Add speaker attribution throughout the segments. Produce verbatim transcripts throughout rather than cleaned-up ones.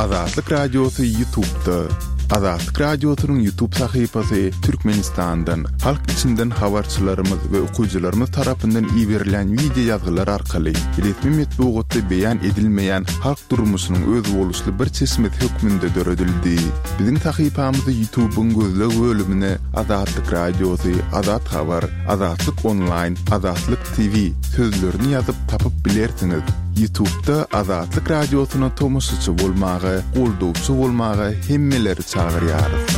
Speaker 1: Azatlyk Radiosy YouTube'da. Azatlyk Radiosynyň YouTube sahypasy Türkmenistandan, halk içinden habarçylarymyz we okyjylarymyz tarapyndan iberilen wideo ýazgylar arkaly resmi metbugatda beýan edilmeýän halk durmuşynyň özboluşly bir çeşmesi hökmünde döredildi. Biziň sahypamyzy YouTube'yň gözleg bölümine Azatlyk Radiosy, Azat Habar, Azatlyk Online, Azatlyk T V sözlerini ýazyp tapyp bilersiňiz. YouTube'da Azatlyk Radiosyna tomaşaçy bolmaga, goldawçy bolmaga hemmeleri çagyrýarys.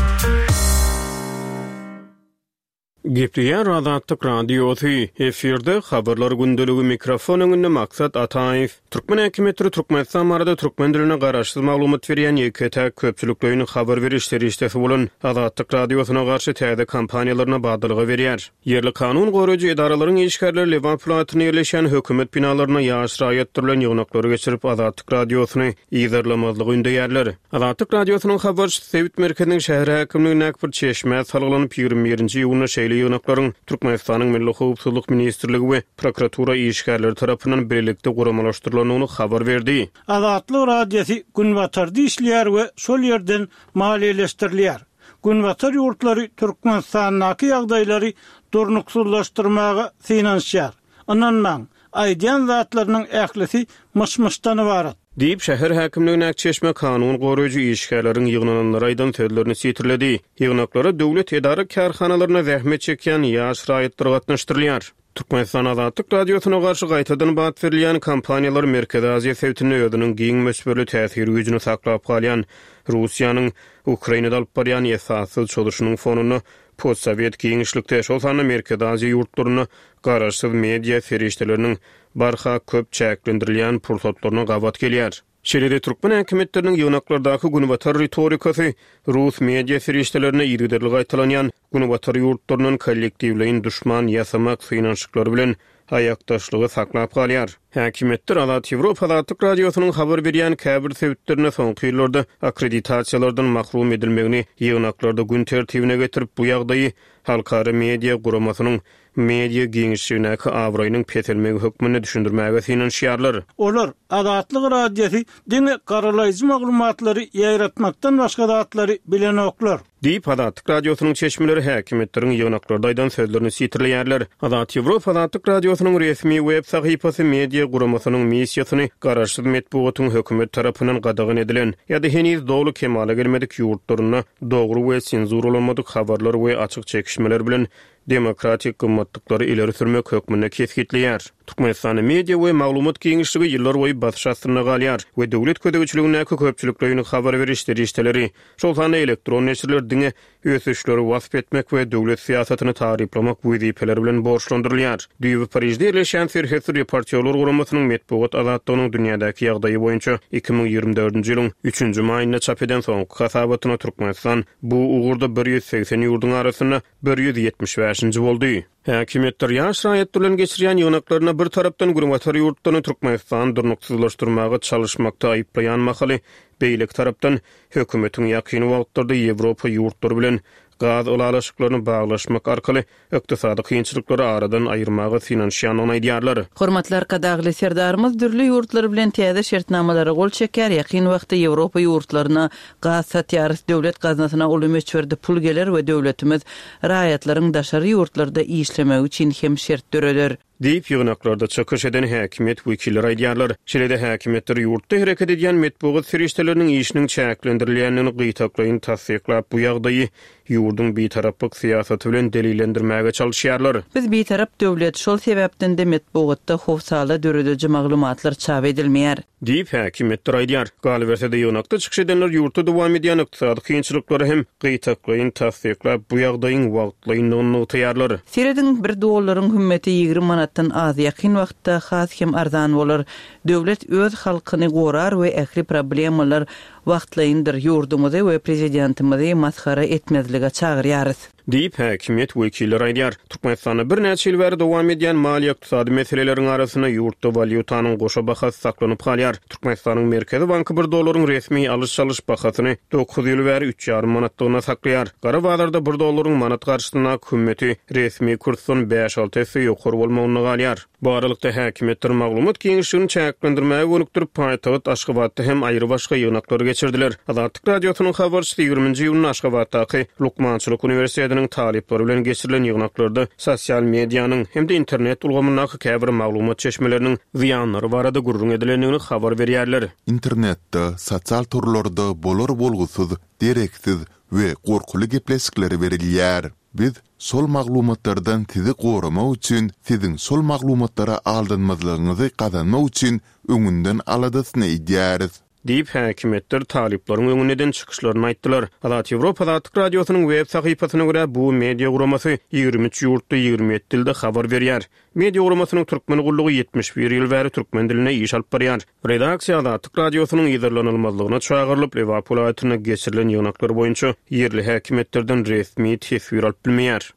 Speaker 2: Gepleýär Azatlyk Radiosy, efirde habarlar gündeligi, mikrofon öňünde Maksat Ataýew. Türkmen häkimiýetleri Türkmenistan barada türkmen dilinde garaşsyz maglumat berýän ýeke-täk köpçülikleýin habar beriş serişdesi bolan Azatlyk Radiosyna garşy täze kampaniýalaryna badalga berýär. Ýerli kanun goraýjy edaralaryň işgärleri Lebap welaýatynda ýerleşýän hökümet binalaryna ýaş raýatlar bilen ýygnaklary geçirip, Azatlyk Radiosyny yzarlamazlygy ündeýärler. Azatlyk Radiosynyň habarçysy sebit merkeziniň şäher häkimligindäki bir çeşmä salgylanyp, ýigrimi birinji iýunda şeýle ýygnaklaryň Türkmenistanyň Milli howpsuzlyk ministrligi we prokuratura işgärleri tarapyndan birlikde guramalaşdyrylandygyny habar berdi.
Speaker 3: Azatlyk Radiosy Günbatarda işleýär we şol ýerden maliýeleşdirilýär. Günbatar ýurtlary Türkmenistandaky ýagdaýlary durnuksyzlaşdyrmaga synanyşýar. Ynanmaň, aýdýan zatlarynyň ählisi myş-myşdan ybarat.
Speaker 2: Diýip, şäher häkimligindäki çeşme kanun goraýjy işgärleriň ýygnananlara aýdan sözlerini sitirledi. Ýygnaklara döwlet edara-kärhanalarynda zähmet çekýän ýaş raýatlar gatnaşdyrylýar. Türkmenistan Azatlyk Radiosyna garşy gaýtadan bat berilýän kampaniýalar Merkezi Aziýa sebitinde özüniň giň möçberli täsir güýjüni saklap galýan Russiýanyň Ukrainada alyp barýan esassyz çozuşynyň fonunda postsowet giňişlikde, şol sanda Merkezi Aziýa ýurtlarynda garaşsyz media serişdeleriniň barha köp çäklendirilýän pursatlaryna gabat gelýär. Şeýle-de türkmen häkimiýetleriniň ýygnaklardaky günbatar ritorikasy rus media serişdelerinde yzygiderli gaýtalanýan günbatar ýurtlaryndan kollektiwleýin duşman ýasamak synanyşyklary bilen aýakdaşlygy saklap galýar. Häkimiýetler Azat Ýewropa Azatlyk Radiosynyň habar berýän käbir sebitlerinde soňky ýyllarda akkreditasiýalardan mahrum edilmegini ýygnaklarda gün tertibine getirip, bu ýagdaýy halkara media guramasynyň media giňişligindäki abraýynyň peselmegi hökmünde düşündirmäge synanyşýarlar.
Speaker 3: Olar Azatlyk Radiosy diňe garalaýjy maglumatlary ýaýratmakdan başga zatlary bilenoklar.
Speaker 2: Diýip, Azatlyk Radiosynyň çeşmeleri häkimiýetleriň ýygnaklarda aýdan sözlerini sitirleýärler. Azat Ýewropa Azatlyk Radiosynyň resmi web sahypasy media guramasynyň missiýasyny garaşsyz metbugatyň hökümet tarapyndan gadagan edilen ýa-da heniz doly kemala gelmedik ýurtlarynda dogry we senzuralanmadyk habarlar we açyk çekişmeler bilen demokratik gymmatlyklary ileri sürmek hökmünde kesgitleýär. Türkmenistanda media we maglumat giňişligi ýyllar boýy basyş astynda galýar we döwlet gözegçiligindäki köpçülikleýin habar beriş serişdeleri, şol sanda elektron neşirler diňe ösüşleri wasp etmek we döwlet syýasatyny taryplamak wezipeleri bilen borçlandyrylýar. Düýbi Parižde ýerleşýän Serhetsiz reportýorlar guramasynyň metbugat azatlygynyň dünýädäki ýagdaýy boýunça iki müň ýigrimi dördünji ýylyň üçünji maýynda çap eden soňky hasabatyna Türkmenistan bu ugurda bir ýüz segsen ýurduň arasynda bir ýüz ýetmiş bäşinji boldy. Häkimiýetler ýaş raýatlar bilen geçirýän ýygnaklaryna bir tarapdan günbatar ýurtlaryny Türkmenistan durnuksyzlaşdyrmaga çalyşmakda aýyplaýan mahaly, beýleki tarapdan hökümetiň ýakyn wagtlarda Ýewropa ýurtlary bilen gaz ylalaşyklaryny baglaşmak arkaly ykdysady kynçylyklary aradan aýyrmaga synanyşýandygyny aýdýarlar.
Speaker 4: Hormatly Arkadagly Serdarymyz dürli ýurtlar bilen täze şertnamalara gol çeker, ýakyn wagtda Ýewropa ýurtlaryna gaz satýarys, döwlet gaznasyna uly möçberde pul geler we döwletimiz raýatlaryň daşary ýurtlarda işlemegi üçin hem şert döreder.
Speaker 2: Diýip, ýygnaklarda çykyş eden häkimiýet wekilleri aýdýarlar. Şeýle-de häkimiýetler ýurtda hereket edýän metbugat serişdeleriniň işiniň çäklendirilýändigini gytaklaýyn tassyklap, bu ýagdaýy ýurduň bitaraplyk syýasaty bilen delillendirmäge çalyşýarlar.
Speaker 4: Biz bitarap döwlet, şol sebäpden-de metbugatda howsala dörediji maglumatlar çap edilmeýär.
Speaker 2: Diýip, häkimiýetler aýdýar. Galyberse-de ýygnakda çykyş edenler ýurtda dowam edýän ykdysady kynçylyklary hem gytaklaýyn tassyklap, bu ýagdaýyň wagtlaýynlygyny nygtaýarlar.
Speaker 4: Serediň, bir dollaryň hümmeti ýigrimi manatdan az, ýakyn wagtda has hem arzan bolar. Döwlet öz halkyny gorar we ähli problemalar wagtlaýyndyr. Ýurdumyzy we prezidentimizi masgara etmezlige çagyrýarys.
Speaker 2: Diýip, häkimiýet wekilleri aýdýar. Türkmenistanda birnäçe ýyl bäri dowam edýän maliýe-ykdysady meseleleriň arasynda ýurtda walýutanyň goşa bahasy saklanyp galýar. Türkmenistanyň Merkezi banky bir dollaryň resmi alyş-çalyş bahasyny dokuz ýyl bäri üç ýarym manatlygyna saklaýar. Gara bazarda bir dollaryň manat garşysyndaky hümmeti resmi kursdan bäş-alty esse ýokary bolmagynda galýar. Bu aralykda häkimiýetler maglumat giňişligini çäklendirmäge gönükdirip, paýtagt Aşgabatda hem aýry başga ýygnaklary geçirdiler. Azatlyk Radiosynyň habarçysy ýigriminji iýunda Aşgabatdaky Lukmançylyk uniwersitetiniň talyplary bilen geçirilen ýygnaklarda sosial medianyň hem-de internet ulgamyndaky käbir maglumat çeşmeleriniň zyýanlary barada gürrüň edilendigini habar berýärler.
Speaker 1: Internetde, sosial torlarda bolar-bolgusyz, dereksiz we gorkuly gepleşikler berilýär. Biz şol maglumatlardan sizi goramak üçin, siziň şol maglumatlara aldanmazlygyňyzy gazanmak üçin öňünden aladasyny edýäris.
Speaker 2: Diýip, häkimiýetler talyplaryň öňünde eden çykyşlaryny aýtdylar. Azat Ýewropa Azatlyk Radiosynyň web sahypasyna görä, bu media guramasy ýigrimi üç ýurtda ýigrimi ýedi dilde habar berýär. Media guramasynyň türkmen gullugy ýetmiş bir ýyl bäri türkmen dilinde iş alyp barýar. Redaksiýa Azatlyk Radiosynyň yzarlanylmazlygyna çagyrylyp, Lebap welaýatynda geçirilen ýygnaklar boýunça ýerli häkimiýetlerden resmi teswir alyp bilmeýär.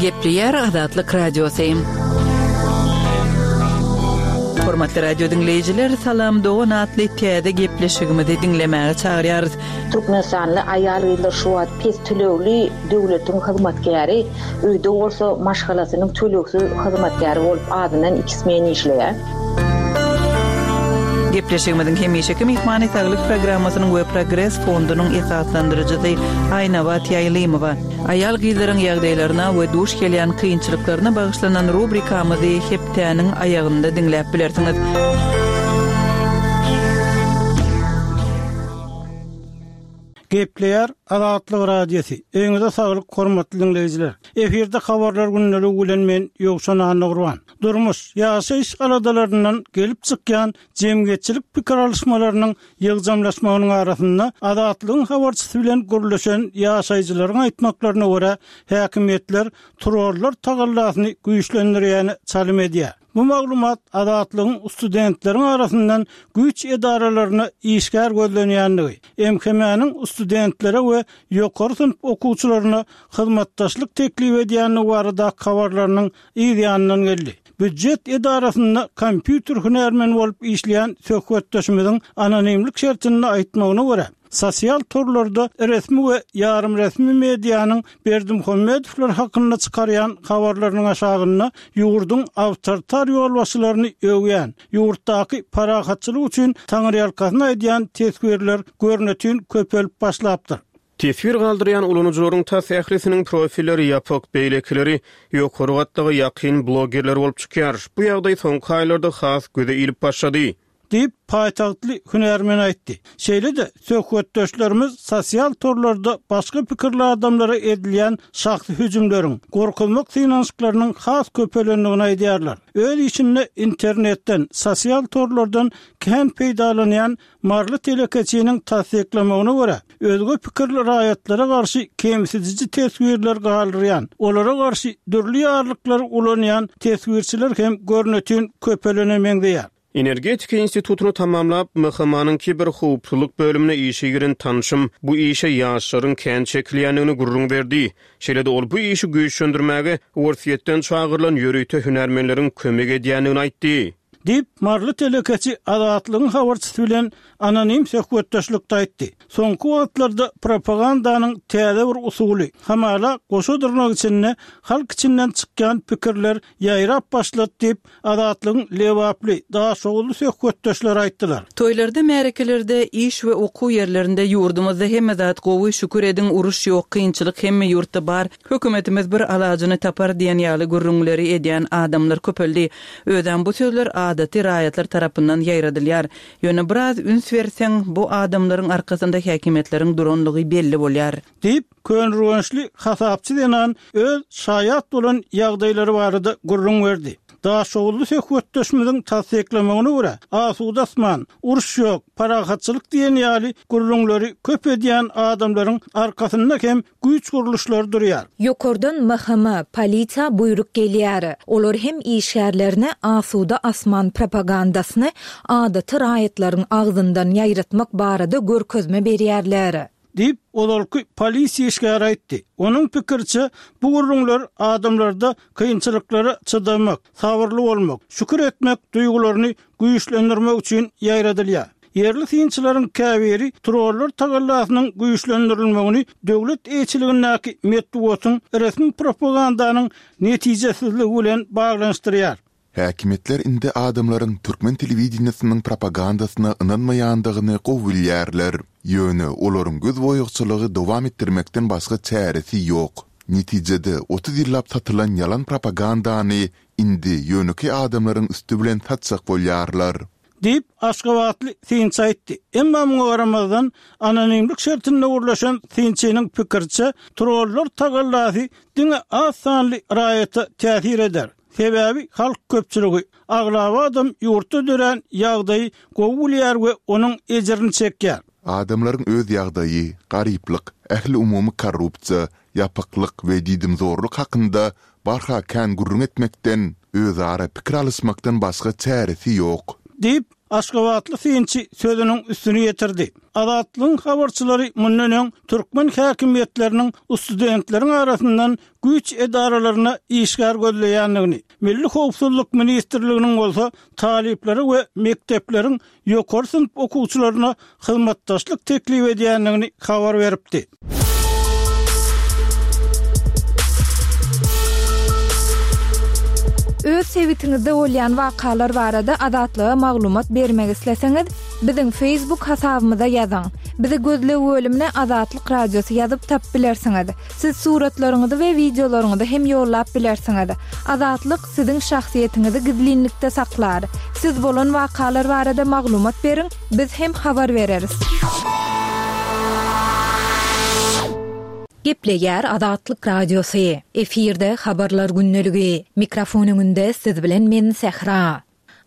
Speaker 4: Gepleýär Azatlyk Radiosy. Hormatly radio diňleýjiler, Salam Dogan atly täze gepleşigimizi diňlemäge çagyrýarys.
Speaker 5: Türkmenistanly aýal-gyzlar şu wagt pes tölegli döwletiň hyzmatkäri, öýde bolsa maşgalasynyň tölegsiz hyzmatkäri bolup azyndan iki smen işleýär.
Speaker 4: Gepleşigimiziň hemişeki myhmany Saglyk programmasynyň we Progres fondunyň esaslandyryjysy Aýnabat Ýaýlymowa. Aýal-gyzlaryň ýagdaýlaryna we duş gelýän kynçylyklaryna bagyşlanan rubrikamyzy hepdäniň aýagynda diňläp bilersiňiz.
Speaker 3: Gepleýär Azatlyk Radiosy. Öýüňize saglyk hormatly diňleýjiler. Efirde habarlar günlügi bilen men Ýowşan Annagurban. Durmuş, ýaşaýyş aladalaryndan gelip çykýan jemgyýetçilik pikir alyşmalarynyň ýygjamlaşmagynyň arasynda Azatlygyň habarçysy bilen gürleşen ýaşaýjylaryň aýtmaklaryna görä häkimiýetler trollar tagallasyny güýçlendirýäni çalym edýär. Bu maglumat Azatlygyň studentleriň arasyndan güýç edaralaryna işgär gözlenýänligi, M H M-niň studentlere we ýokary synp okuwçylaryna hyzmatdaşlyk teklip edýänligi barada habarlarynyň yz ýanyndan geldi. Býujet edarasynda kompýuter hünärmeni bolup işleýän söhbetdeşimiziň anonimlik şertinde aýtmagyna görä, sosial torlarda resmi we ýarym resmi medianyň Berdimuhamedowlar hakynda çykarýan habarlarynyň aşagynda ýurduň awtoritar ýolbaşçylaryny öwýän, ýurtdaky parahatçylyk üçin taňryýalkasyny aýdýan teswirler görnütin köpelip başlapdyr.
Speaker 2: Teswir galdyrýan ulanyjylaryň tas ählisiniň profilleri ýapyk, beýlekileri ýokary gatlaga ýakyn blogerler bolup çykýar. Bu ýagdaý soňky aýlarda has göze ilip başlady.
Speaker 3: Diýip, paýtagtly hünärmen aýtdy. Şeýle-de söhbetdeşlerimiz sosial torlarda başga pikirli adamlara edilýän şahsy hüjümleriň, gorkuzmak synanyşyklarynyň has köpelendigini aýdýarlar. Öz işinde internetden, sosial torlardan kän peýdalanýan Marly telekeçiniň tassyklamagyna görä, özge pikirli raýatlara garşy kemsidiji teswirler galdyrýan, olara garşy dürli ýarlyklary ulanýan teswirçiler hem görnütin köpelene meňzeýär.
Speaker 2: Energetika institutyny tamamlap, M H M-nyň kiberhowpsuzlyk bölümine işe giren tanşym bu işe ýaşlaryň kän çekilýändigini gürrüň berdi. Şeýle-de ol bu işi güýçlendirmäge Orsýetden çagyrylan ýörite hünärmenleriň kömek edýändigini aýtdy.
Speaker 3: Diýip, Marly telekeçi Azatlygyň habarçysy bilen anonim söhbetdeşlikde aýtdy. Soňky wagtlarda propagandanyň täze bir usuly, hamala goşa dyrnak içinde halk içinden çykýan pikirler ýaýrap başlady diýip, Azatlygyň Lebaply, Daşoguzly söhbetdeşleri aýtdylar.
Speaker 4: Toýlarda, märekelerde, iş we okuw ýerlerinde ýurdumyzda hemme zat gowy, şükür ediň, uruş ýok, kynçylyk hemme ýurtda bar. Hökümetimiz bir alajyny tapar diýen ýaly gürrüňleri edýän adamlar köpeldi. Özem bu sözler adaty raýatlar tarapyndan ýaýradylýar. Ýöne biraz üns berseň, bu adamlaryň arkasynda häkimiýetleriň duranlygy belli bolýar.
Speaker 3: Diýip, Könürgençli hasapçy zenan öz şaýat bolan ýagdaýlary barada gürrüň berdi. Daşoguzly söhbetdeşimiziň tassyklamagyna görä, asuda asman, uruş ýok, parahatçylyk diýen ýaly gürrüňleri köp edýän adamlaryň arkasynda hem güýç gurluşlary durýar.
Speaker 6: Ýokardan M H M, polisiýa buýruk gelýär. Olar hem işgärlerine asuda asman propagandasyny adaty raýatlaryň agzyndan ýaýratmak barada görkezme berýärler.
Speaker 3: Diýip, ozalky polisiýa işgäri aýtdy. Onuň pikiriçe, bu gürrüňler adamlarda kynçylyklara çydamak, sabyrly bolmak, şükür etmek duýgularyny güýçlendirmek üçin ýaýradylýar. Ýerli synçylaryň käbiri trollar tagallasynyň güýçlendirilmegini döwlet eýeçiligindäki metbugatyň resmi propagandanyň netijesizligi bilen baglanyşdyrýar.
Speaker 1: Häkimiýetler indi adamlaryň türkmen telewideniýesiniň propagandasyna ynanmaýandygyny gowy bilýärler. Ýöne olaryň gözboýagçylygy dowam etdirmekden başga çäresi ýok. Netijede otuz ýyllap satylan ýalan propagandany indi ýönekeý adamlaryň üsti bilen satjak bolýarlar.
Speaker 3: Diýip, aşgabatly synçy aýtdy. Emma muňa garamazdan, anonimlik şertinde gürleşen synçynyň pikiriçe, trollar tagallasy diňe az sanly raýata täsir eder. Sebäbi halk köpçüligi, aglaba adam ýurtda dörän ýagdaýy gowy bilýär we onuň ejirini çekýär.
Speaker 1: Adamlaryň öz ýagdaýy, garyplyk, ähliumumy korrupsiýa, ýapyklyk we diýdimzorluk hakynda barha kän gürrüň etmekden, özara pikir alyşmakdan başga çäresi ýok.
Speaker 3: Diýip, aşgabatly synçy sözüniň üstüni ýetirdi. Azatlygyň habarçylary mundan öň türkmen häkimiýetleriniň studentleriň arasyndan güýç edaralaryna işgär gözleýändigini, Milli howpsuzlyk ministrliginiň bolsa talyplary we mekdepleriň ýokary synp okuwçylaryna hyzmatdaşlyk teklip edýändigini habar beripdi.
Speaker 6: Öz sebitiňizde bolýan wakalar barada Azatlyga maglumat bermek isleseňiz, biziň Facebook hasabymyza ýazyň. Bizi gözleg bölümine Azatlyk Radiosy ýazyp tapyp bilersiňiz. Siz suratlaryňyzy we wideolaryňyzy hem ýollap bilersiňiz. Azatlyk siziň şahsyýetiňizi gizlinlikde saklar. Siz bolan wakalar barada maglumat beriň, biz hem habar bereris. Gepleýär Azatlyk Radiosy. Efirde habarlar gündeligi. Mikrofon öňünde siz bilen men Sähra.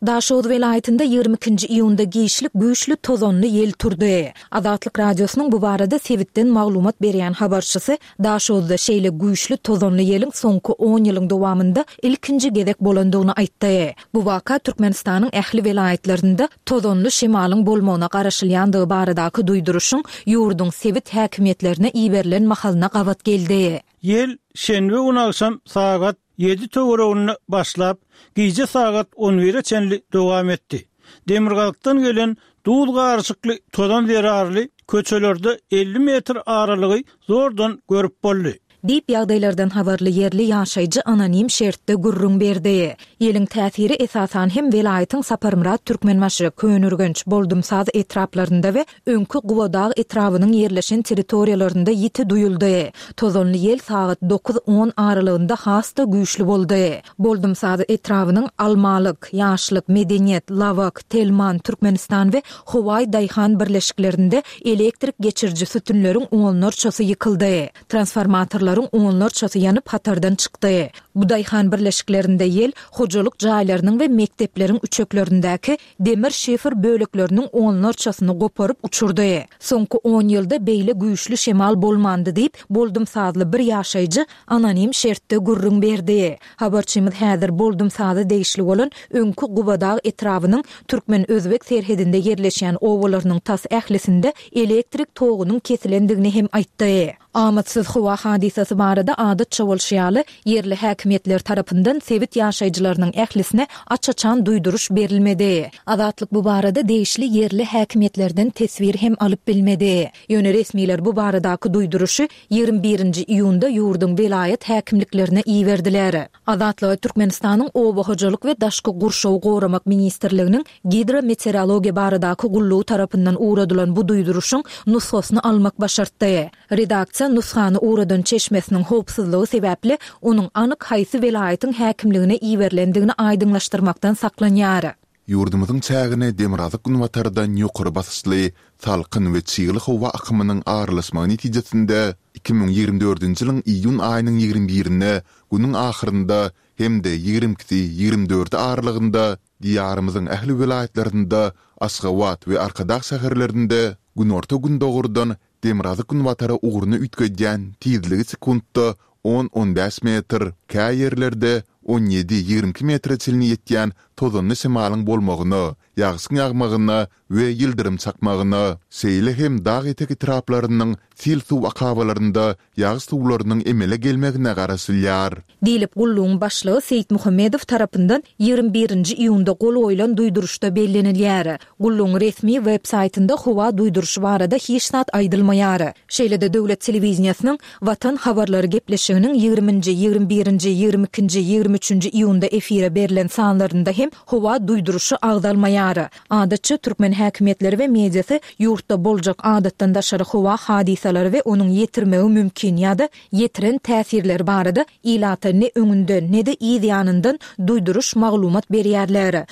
Speaker 6: Daşoguz welaýatynda ýigrimi ikinji iýunda giçlik güýçli tozanly ýel turdy. Azatlyk Radiosynyň bu barada sebitden maglumat berýän habarçysy Daşoguzda şeýle güýçli tozanly ýeliň soňky on ýylyň dowamynda ilkinji gezek bolandygyny aýtdy. Bu waka Türkmenistanyň ähli welaýatlarynda tozanly şemalyň bolmagyna garaşylýandygy baradaky duýduryşyň ýurduň sebit häkimiýetlerine iberilen mahalyna gabat geldi.
Speaker 3: Ýel şenbe güni agşam sagat ýedi töwereginde başlap, gije sagat on bire çenli dowam etdi. Demirgazykdan gelen duz garyşykly tozan zerarly köçelerde elli metr aralygy zordan görüp boldy.
Speaker 6: Diýip, ýagdaýlardan habarly ýerli ýaşaýjy anonim şertde gürrüň berdi. Ýeliň täsiri esasan hem welaýatyň Saparmyrat Türkmenbaşy, Köneürgenç, Boldumsaz etraplarynda we öňki Gubadag etrabynyň ýerleşen territoriýalarynda ýiti duýuldy. Tozanly ýel sagat dokuz on aralygynda has-da güýçli boldy. Boldumsaz etrabynyň Almalyk, Ýaşlyk, Medeniýet, Lawak, Telman, Türkmenistan we Howaý daýhan birleşiklerinde elektrik geçiriji sütünleriň onlarçasy ýykyldy. Transformatorlaryň onlarçasy ýanyp hatardan çykdy. Bu daýhan birleşiklerinde ýel hojalyk jaýlarynyň we mekdepleriň üçeklerindäki demir şifer bölekleriniň onlarçasyny goparyp uçurdy. Soňky on ýylda beýle güýçli şemal bolmandy diýip, Boldumsazly bir ýaşaýjy anonim şertde gürrüň berdi. Habarçymyz häzir Boldumsaza degişli bolan öňki Gubadag etrabynyň türkmen-özbek serhedinde ýerleşýän obalarynyň tas ählisinde elektrik togunyň kesilendigini hem aýtdy. Amatsyz howa hadysasy barada adatça bolşy ýaly, ýerli häkimiýetler tarapyndan sebit ýaşaýjylarynyň ählisine aç-açan duýduryş berilmedi. Azatlyk bu barada degişli ýerli häkimiýetlerden teswir hem alyp bilmedi. Ýöne resmiler bu baradaky duýduryşy ýigrimi birinji iýunda ýurduň welaýat häkimliklerine iberdiler. Azatlyga Türkmenistanyň Oba hojalyk we daşky gurşawy goramak ministrliginiň Gidrometeorologiýa baradaky gullugy tarapyndan ugradylan bu duýduryşyň nusgasyny almak başartdy. Redaksiýa nusgany ugradan çeşmesiniň howpsuzlygy sebäpli onuň anyk haýsy welaýatyň häkimligine iberilendigini aýdyňlaşdyrmakdan saklanýar.
Speaker 1: Ýurdumyzyň çägine demirgazyk-günbatardan ýokary basyşly, salkyn we çygly howa akymynyň aralaşmagy netijesinde iki müň ýigrimi dördünji ýylyň iýun aýynyň ýigrimi birine günüň ahyrynda hem-de ýigrimi ikisi ýigrimi dördi aralygynda Diýarymyzyň ähli welaýatlarynda, Aşgabat we Arkadag şäherlerinde günorta-gündogardan demirgazyk-günbatara ugruny üýtgedýän tizligi sekuntda on-on bäş metr, käýerlerde on ýedi-ýigrimi iki metre çenli ýetýän tozanly şemalyň bolmagyna, ýagşyň ýagmagyna we ýyldyrym çakmagyna, şeýle hem dag etek etraplarynyň sil suw akabalarynda ýagyş suwlarynyň emele gelmegine garaşylýar.
Speaker 6: Diýlip, gullugyň başlygy Seýitmuhammedow tarapyndan ýigrimi birinji iýunda gol goýlan duýduryşda bellenilýär. Gullugyň resmi web saýtynda howa duýduryşy barada hiç zat aýdylmaýar. Şeýle-de döwlet telewideniýesiniň Watan habarlary gepleşiginiň ýigriminji, ýigrimi birinji, ýigrimi ikinji, ýigrimi üçünji iýunda efire berlen sanlarynda hem howa duýduryşy agzalmaýar. Adatça, türkmen häkimiýetleri we mediasy ýurtda boljak adatdan daşary howa hadysalary we onuň ýetirmegi mümkin ýa-da ýetiren täsirleri barada ilata ne öňünden, ne-de yz ýanyndan duýduryş maglumat berýärler.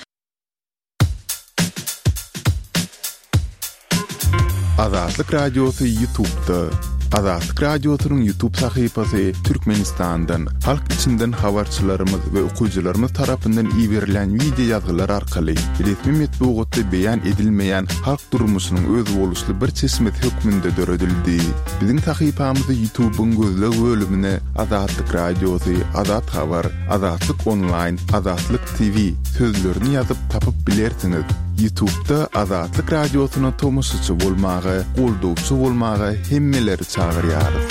Speaker 1: Azatlyk Radiosy YouTube'da. Azatlyk Radiosynyň YouTube sahypasy Türkmenistandan, halk içinden habarçylarymyz we okyjylarymyz tarapyndan iberilýän wideo ýazgylar arkaly resmi metbugatda beýan edilmeýän halk durmuşynyň özboluşly bir çeşmesi hökmünde döredildi. Biziň sahypamyzy YouTube-yň gözleg bölümine Azatlyk Radiosy, Azat Habar, Azatlyk Onlaýn, Azatlyk T V sözlerini ýazyp tapyp bilersiňiz. YouTube'da Azatlyk Radiosyna tomaşaçy bolmaga, goldawçy bolmaga hemmeleri çagyrýarys.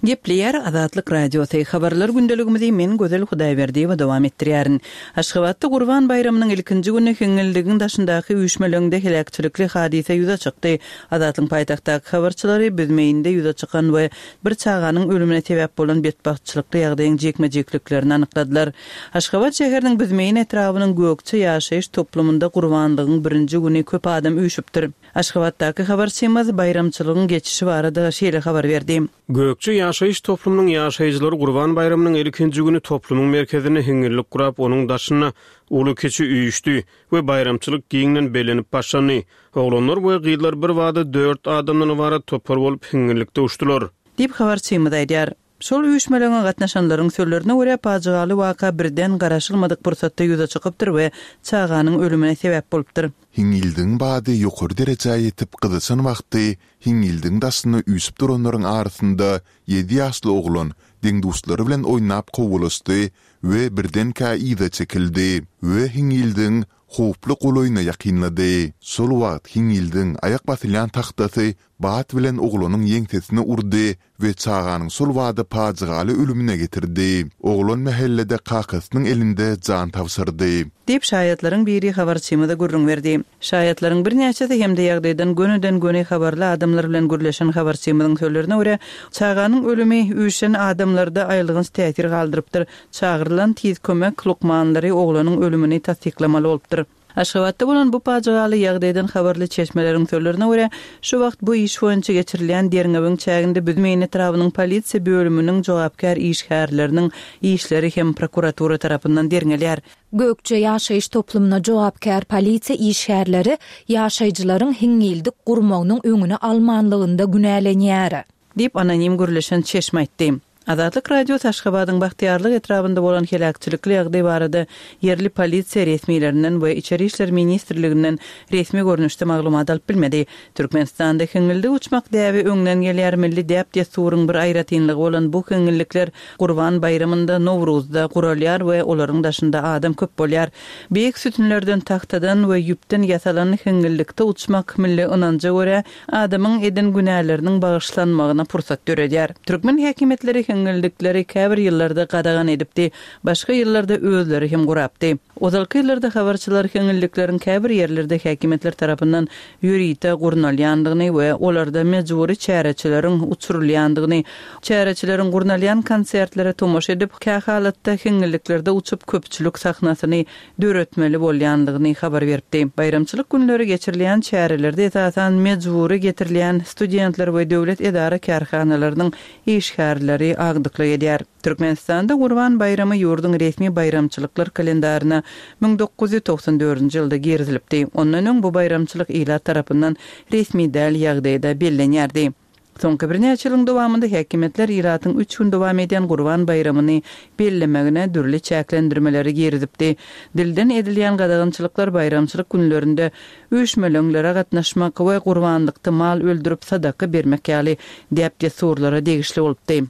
Speaker 4: Gepleýär Azatlyk Radiosy. Habarlar gündeligimizi men Gözel Hudaýberdiýewa dowam etdirýärin. Aşgabatda Gurban baýramynyň ilkinji güni hiňňildigiň daşyndaky üýşmeleňde heläkçilikli hadysa ýüze çykdy. Azatlyk paýtagtdaky habarçylary Büzmeýinde ýüze çykan we bir çaganyň ölümine sebäp bolan betbagtçylykly ýagdaýyň jikme-jikliklerini anykladylar. Aşgabat şäheriniň Büzmeýin etrabynyň Gökçe ýaşaýyş toplumynda Gurbanlygyň birinji güni köp adam üýşüpdir. Aşgabatdaky habarçymyz baýramçylygyň geçişi barada şeýle habar berdi.
Speaker 2: Gökçe ýaşaýyş toplumynyň ýaşaýjylary Gurban baýramynyň ilkinji güni toplumyň merkezinde hiňňillik gurap, onuň daşynda uly kiçi üýşdi we baýramçylyk giňden bellenip başlandy. Oglanlar we gyzlar bir bada dört adamdan ybarat topar bolup hiňňillikde uçdular.
Speaker 4: Diýip habarçymyz aýdýar. Şol üýşmeleňe gatnaşanlaryň sözlerine görä pajygaly waka birden garaşylmadyk pursatda ýüze çykypdyr we çaganyň ölümine sebäp bolupdyr.
Speaker 1: Hiňňildigiň bady ýokary derejä ýetip gyzyşan wagty hiňňildigiň daşyna üýşüp duranlaryň arasynda ýedi ýaşly oglan deň-duşlary bilen oýnap kowulaşdy we birdenkä yza çekildi we hiňňildigiň howply golaýyna ýakynlady. Şol wagt hiňňildigiň aýak basylýan tagtasy bat bilen oglanyň ýeňsesine urdy we çaganyň şol bada pajygaly ölümine getirdi. Oglan mähellede kakasynyň elinde jan tabşyrdy.
Speaker 4: Diýip şaýatlaryň biri habarçymyza gürrüň berdi. Şaýatlaryň birnäçesi hem-de ýagdaýdan gönüden göni habarly adamlar bilen gürleşen habarçymyzyň sözlerine görä, çaganyň ölümi üýşen adamlarda aýylganç täsir galdyrypdyr. Çagyrylan tiz kömek lukmanlary oglanyň ölümini tassyklamaly bolupdyr. Aşgabatda bolan bu pajygaly ýagdaýdan habarly çeşmeleriň sözlerine görä, şu wagt bu iş boýunça geçirilýän derňewiň çäginde Büzmeýin etrabynyň polisiýa bölüminiň jogapkär işgärleriniň işleri hem prokuratura tarapyndan derňelýär.
Speaker 6: Gökçe ýaşaýyş toplumyna jogapkär polisiýa işgärleri ýaşaýjylaryň hiňňildik gurmagynyň öňüni almanlygynda günälenýär.
Speaker 4: Diýip anonim gürleşen çeşme aýtdy. Azatlyk Radiosy Aşgabadyň Bagtyýarlyk etrabynda bolan heläkçilikli ýagdaý barada ýerli polisiýa resmilerinden we Içeri işler ministrliginden resmi görnüşde maglumat alyp bilmedi. Türkmenistanda hiňňildik uçmak däbi öňden gelýär. Milli däp-dessuryň bir aýratynlygy bolan bu hiňňillikler Gurban baýramynda Nowruzda guralýar we olaryň daşynda adam köp bolýar. Beýik sütünlerden, tahtadan we ýüpden ýasalan hiňňillikde uçmak milli ynanja görä adamyň eden günäleriniň bagyşlanmagyna pursat döredýär. Türkmen häkimiýetleri hiňňildikleri käbir ýyllarda gadagan edipdi. Başga ýyllarda özleri hem gurapdy. Ozalky ýyllarda habarçylar hiňňillikleriň käbir ýerlerde häkimiýetler tarapyndan ýörite gurnalýandygyny we olarda mejbury çäreçileriň uçurylýandygyny, çäreçileriň gurnalýan konsertlere tomaşa edip, kähalatda hiňňilliklerde uçup köpçülik sahnasyny döretmeli bolýandygyny habar beripdi. Baýramçylyk günleri geçirilýän çärelerde esasan mejbury getirilýän studentler we döwlet edara kärhanalarynyň işgärleri agdyklyk edýär. Türkmenistanda Gurban baýramy ýurduň resmi baýramçylyklar kalendaryna müň dokuz ýüz togsan dördünji ýylda girizilipdi. Ondan öň bu baýramçylyk ilat tarapyndan resmi däl ýagdaýda bellenýärdi. Soňky birnäçe ýylyň dowamynda häkimiýetler ilatyň üç gün dowam edýän Gurban baýramyny bellemegine dürli çäklendirmeleri girizipdi. Dilden edilýän gadagançylyklar baýramçylyk günlerinde üýşmeleňlere gatnaşmak we gurbanlykda mal öldürip sadaka bermek ýaly däp-dessurlara degişli bolupdy.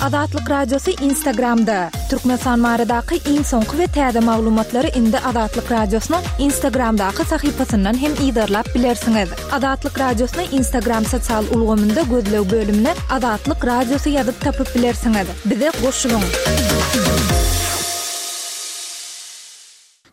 Speaker 6: Azatlyk Radiosy Instagramda. Türkmenistan baradaky iň soňky we täze maglumatlary indi Azatlyk Radiosynyň Instagramdaky sahypasyndan hem yzarlap bilersiňiz. Azatlyk Radiosyny Instagram sosial ulgamynda gözleg bölümine Azatlyk Radiosy ýazyp tapyp bilersiňiz. Bize goşulyň!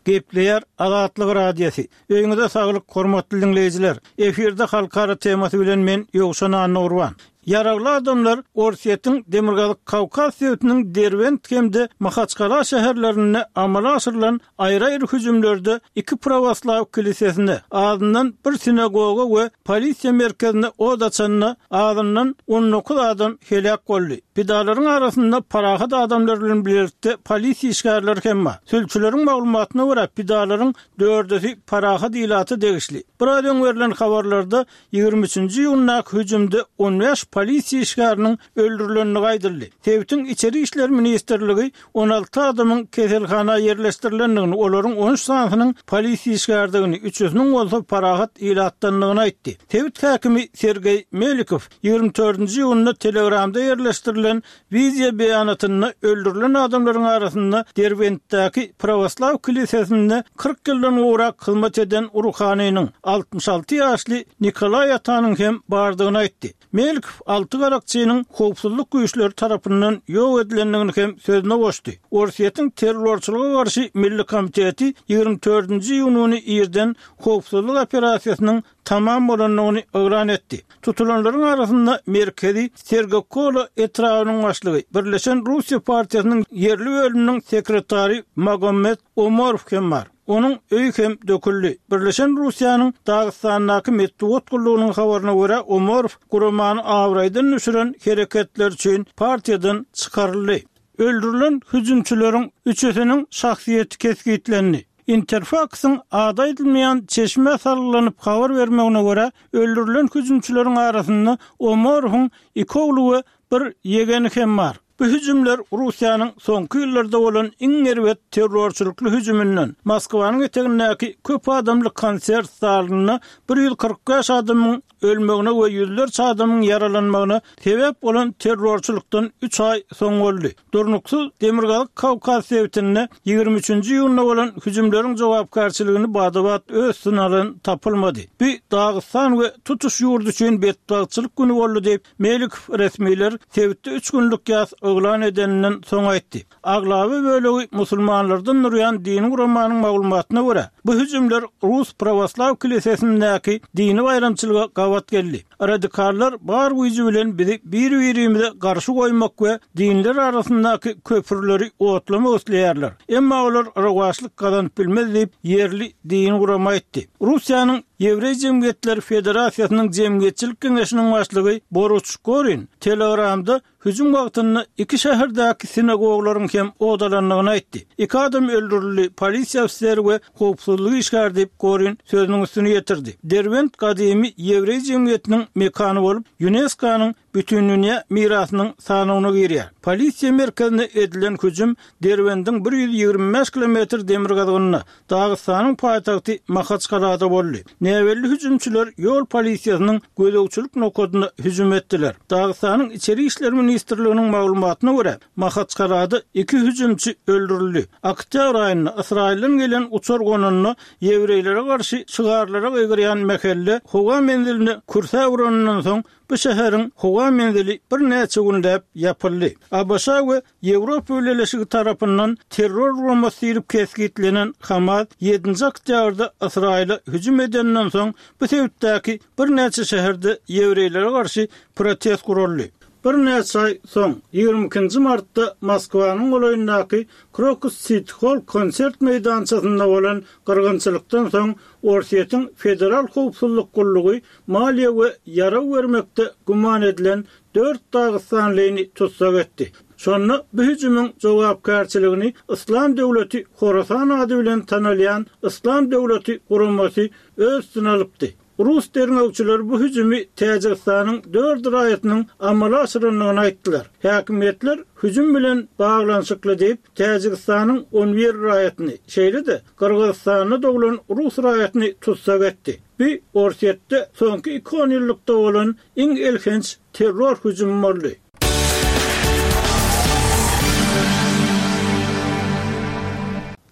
Speaker 3: Gepleýär Azatlyk Radiosy. Öýüňize saglyk, hormatly diňleýjiler! Efirde halkara temasy bilen men Ýowşan Annagurban. Ýaragly adamlar Orsýetiň Demirgazyk Kawkaz sebitiniň Derbent hem-de Mahaçkala şäherlerinde amala aşyrylan aýry-aýry hüjümlerde iki prawoslaw kilisesine, azyndan bir sinagoga we polisiýa merkezine ot açanda azyndan on dokuz adam heläk boldy. Pidalaryň arasynda parahat adamlar bilen bilelikde polisiýa işgärleri hem bar. Sülçüleriň maglumatyna görä, pidalaryň dördüsi parahat ilata degişli. Biraz öň berlen habarlarda ýigrimi üçünji iýundaky hüjümde on bäş polisiýa işgäriniň öldürilendigi aýdyldy. Sebitiň Içeri işler ministrligi on alty adamyň keselhana ýerleşdirilendigini, olaryň on üç sanysynyň polisiýa işgärdigini, üçüsiniň bolsa parahat ilatdandygyny aýtdy. Sebit häkimi Sergeý Melikow ýigrimi dördünji iýunda Telegramda ýerleşdirilen wideo beýanatynda öldürilen adamlaryň arasynda Derbentdäki prawoslaw kilisesinde kyrk ýyldan gowrak hyzmat eden ruhanynyň, altmyş alty ýaşly Nikolaý atanyň hem bardygyny aýtdy. Melikow alty garakçynyň howpsuzlyk güýçleri tarapyndan ýok edilendigini hem sözüne goşdy. Orsýetiň terrorçylyga garşy milli komiteti ýigrimi dördünji iýun güni irden howpsuzlyk operasiýasynyň tamam bolandygyny yglan etdi. Tutulanlaryň arasynda merkezi Sergokola etrabynyň başlygy, Birleşen Russiýa partiýasynyň ýerli bölüminiň sekretary Magomed Omarow hem bar. Onuň öýi hem döküldi. Birleşen Russiýanyň Dagystandaky metbugat gullugynyň habaryna görä, Omarow guramany abraýdan düşüren hereketleri üçin partiýadan çykaryldy. Öldürilen hüjümçileriň üçüsiniň şahsyýeti kesgitlendi. Interfaksyň ady aýdylmaýan çeşmä salgylanyp habar bermegine görä, öldürilen hüjümçileriň arasynda Omarowyň iki ogly we bir ýegeni hem bar. Bu hüjümler Russiýanyň soňky ýyllarda bolan iň erbet terrorçylykly hüjüminden, Moskwanyň etegindäki köp adamly konsert zalynda bir ýüz kyrk bäş adamyň ölmegine we ýüzlerçe adamyň ýaralanmagyna sebäp bolan terrorçylykdan üç aý soň boldy. Durnuksyz Demirgazyk Kawkaz sebitinde ýigrimi üçünji iýunda bolan hüjümleriň jogapkärçiligini bada-bat öz üstüne alan tapylmady. Bu Dagystan we tutuş ýurt üçin betbagtçylyk güni boldy diýip, Melikow resmiler sebitde üç günlük ýas yglan edeninden soň aýtdy. Aglaba bölegi musulmanlardan durýan dini guramanyň maglumatyna görä, bu hüjümler Rus prawoslaw kilisesindäki dini baýramçylyga gabat geldi. Radikallar bar güýji bilen bizi bir-birimize garşy goýmak we dinler arasyndaky köprüleri otlamak isleýärler. Emma olar rowaçlyk gazanyp bilmez diýip, ýerli dini gurama aýtdy. Russiýanyň Ýewreý jemgyýetleri federasiýasynyň jemgyýetçilik geňeşiniň başlygy Boruç Gorin Telegramda hüjüm wagtynda iki şäherdäki sinagoglaryň hem odalandygyny aýtdy. Iki adam öldürildi, polisiýa ofiseri we howpsuzlyk işgäri diýip, Gorin sözüniň üstüni ýetirdi. Derbent gadymy ýewreý jemgyýetiniň mekany bolup, Ýunesko-nyň Bütindünýä mirasynyň sanawyna girýär. Polisiýa merkezine edilen hüjüm Derbendiň bir ýüz ýigrimi bäş kilometr demirgazygynda, Dagystanyň paýtagty Mahaçgalada boldy. Näbelli hüjümçiler ýol polisiýasynyň gözegçilik nokadyna hüjüm etdiler. Dagystanyň Içeri işler ministrliginiň maglumatyna görä, Mahaçgalada iki hüjümçi öldürildi. Oktýabr aýynda Ysraýyldan gelen uçar gonanda ýewreýlere garşy şygarlara gygyrýan mähelle howa menziline kürsä uranyndan soň bu şäheriň howa menzili birnäçe günläp ýapyldy. ABŞ we Ýewropa Bileleşigi tarapyndan terror guramasy diýlip kesgitlenen Hamas ýedinji oktýabrda Ysraýyla hüjüm edeninden soň bu sebitdäki birnäçe şäherde ýewreýlere garşy protest guraldy. Birnäçe aý soň, ýigrimi ikinji martda Moskwanyň golaýyndaky Krokus Siti Holl konsert meýdançasynda bolan gyrgynçylykdan soň Orsýetiň Federal howpsuzlyk gullugy maliýe we ýarag bermekde güman edilen dört dagystanlyny tussag etdi. Şonda bu hüjümiň jogapkärçiligini Yslam döwleti Horasan ady bilen tanalýan Yslam döwleti guramasy öz üstüne alypdy. Rus derňewçileri bu hüjümi Täjigistanyň dört raýatynyň amala aşyrandygyny aýtdylar. Häkimiýetler hüjüm bilen baglanyşykly diýip, Täjigistanyň on bir raýatyny, şeýle-de Gyrgyzystanda doglan rus raýatyny tussag etdi. Bu Orsýetde soňky iki onýyllykda bolan iň elhenç terror hüjümi boldy.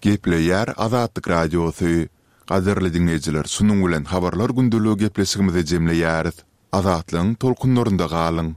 Speaker 1: Gepleýär Azatlyk Radiosy. Gadyrly diňleýjiler, şunuň bilen Habarlar gündeligi gepleşigimizi jemleýäris. Azatlygyň tolkunlarynda galyň!